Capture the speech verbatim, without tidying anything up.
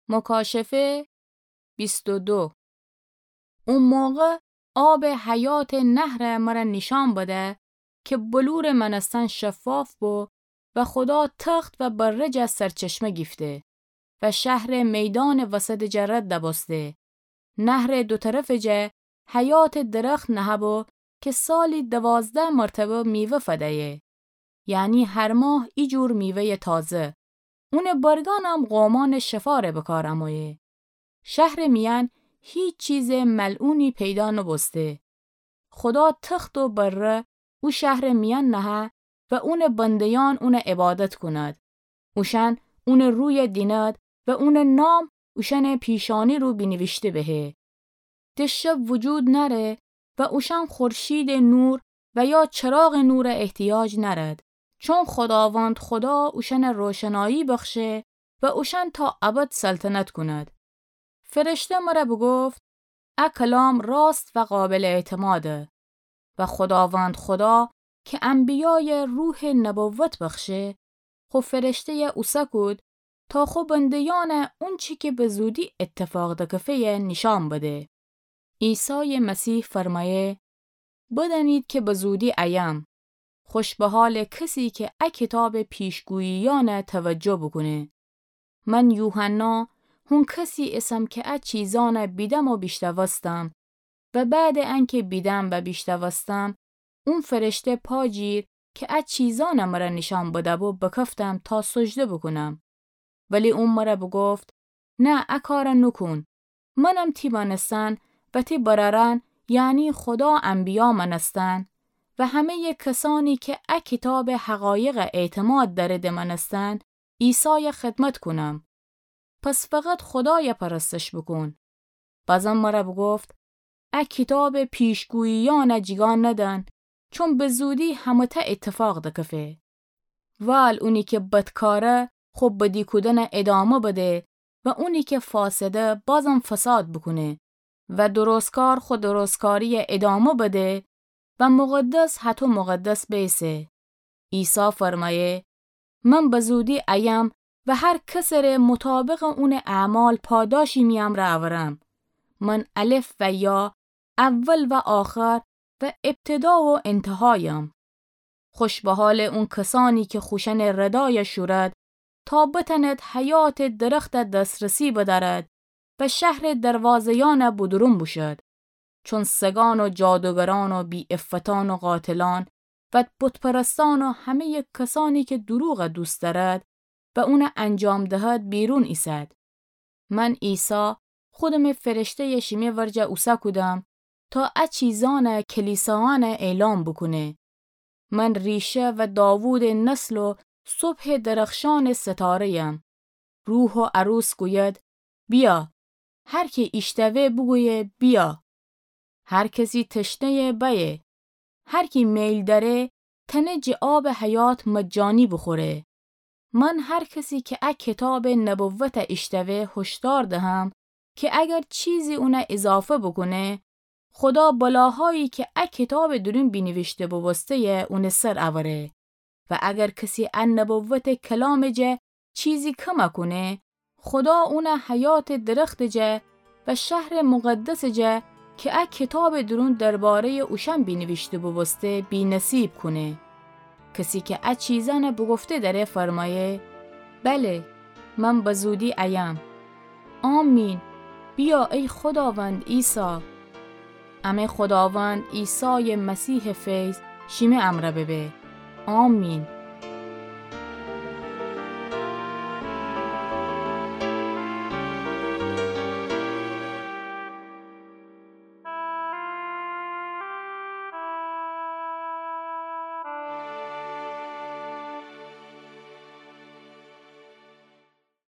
مکاشفه بیست و دو. او موقع آب حیات نهر مره نیشان بده که بلور مأنستن شفاف بو و خدا تخت و بره جه سرچشمه گیفته و شهر میدان وسط جه رد دبسته. نهر دو طرف جه حیات درخت نهه بو که سالی دوازده مرتبه میوه فدیه. یعنی هر ماه ایجور میوهٔ تازه. اونٚ برگانم قومانٚ شفاره بکار امویه. شهرٚ میأن هیچ چیزٚ ملعونی پیدا نوبوسته. خدا تخت و بره او شهرٚ میأن نهه و اونٚ بنده‌یأن اونٚ عبادت کند. اوشأن اونٚ روی دیند و اونٚ نام اوشأنٚ پیشانی رو بینیویشته بهه. ده شب وجود نأره و اوشأن خورشیدٚ نور و یا چراغٚ نور احتیاج نأرد، چون خداوند خدا اوشأن روشنایی بخشه و اوشأن تا ابد سلطنت کند. فرشته مره بوگفت: ا کلام راست و قابل اعتماده. و خداوند خدا که انبیای روح نبوت بخشه، خو فرشته‌ی اوسه کود تا خو بنده‌یأن اونچی که به زودی اتفاق دکفه‌ی نیشان بده. عیسی مسیح فرمایه: بدأنید که به زودی ایم. خوش به حال کسی که ا کتاب پیشگوییأن توجه بوکونه. من یوحنا هون کسی اسم که ا چیزأن بیدم و بیشتوستم و بعد انکه بیدم و بیشتوستم، اون فرشته پا جیر که ا چیزأن مره نیشان بده‌بو بکفتم تا سجده بوکونم. ولی اون مره بوگفت: نه، ا کار نوکون. منم تی مأنستن و تی برأرأن، یعنی خدا انبیا مأنستن و همه‌ی کسانی که ا کتاب حقایق اعتماد دأرده مأنستن، عیسای خدمت کونم. پس فقط خدای پرستش بوکون. بازم مره بوگفت: ا کتاب پیشگوییأن جیگا ندن، چون به زودی همه‌ته اتفاق دکفه. وال اونی که بدکاره خو بدی کودن ادامه بده و اونی که فاسده بازم فساد بوکونه و درستکار خو درستکاری ادامه بده و مقدس هطو مقدس بیسه. عیسی فرمایه: من به زودی ایم و هر کسٚ ره مطابق اونٚ اعمال پاداشی می امرأ اورم. من الف و یا، اول و آخر و ابتدا و انتهایم. خوش به حال اون کسانی که خوشأنٚ ردای شورد، تا بتأند حیاتٚ درختٚ دسترسی بدأرد و شهرٚ دروازه‌یأن بودورون بوشد. چون سگان و جادوگران و بی‌عفتان و قاتلان و بت‌پرستان و همه‌ی کسانی که دروغ دوست دأرد و اون انجام دهد، بیرون ایسد. من عیسی خودمٚ فرشته‌ی شیمه ورجه اوسه کودم تا ا چیزأن کلیساأن اعلام بوکونه. من ریشه و داوودٚ نسل و صبحٚ درخشانٚ ستاره‌یم. روح و عروس گوید: بیا. هر کی ایشتوه بوگویه: بیا. هر کسی تشنه‌یه بأیه. هر کی میل دأره تأنه جٚه آبٚ حیات مجانی بوخوره. من هر کسی که ا کتابٚ نبوت ایشتوه هشدار دهم که اگر چیزی اون اضافه بوکونه، خدا بلاهایی که ا کتابٚ دورون بینیویشته بوبوسته‌یه اونٚ سر اوره. و اگر کسی ا نبوتٚ کلامٚ جا چیزی کم کونه، خدا اون حیاتٚ درختٚ جا و شهرٚ مقدسٚ جا که ا کتابٚ دورون درباره‌یٚ اوشأن بینیویشته بوبوسته، بی‌نصیب کونه. کسی که ا چیزأن بوگفته دأره فرمایه: بله، من به زودی ایم. آمین. بیا ای خداوند عیسی. امه خداوند عیسایٚ مسیحٚ فیض شیمه امرأ ببه. آمین.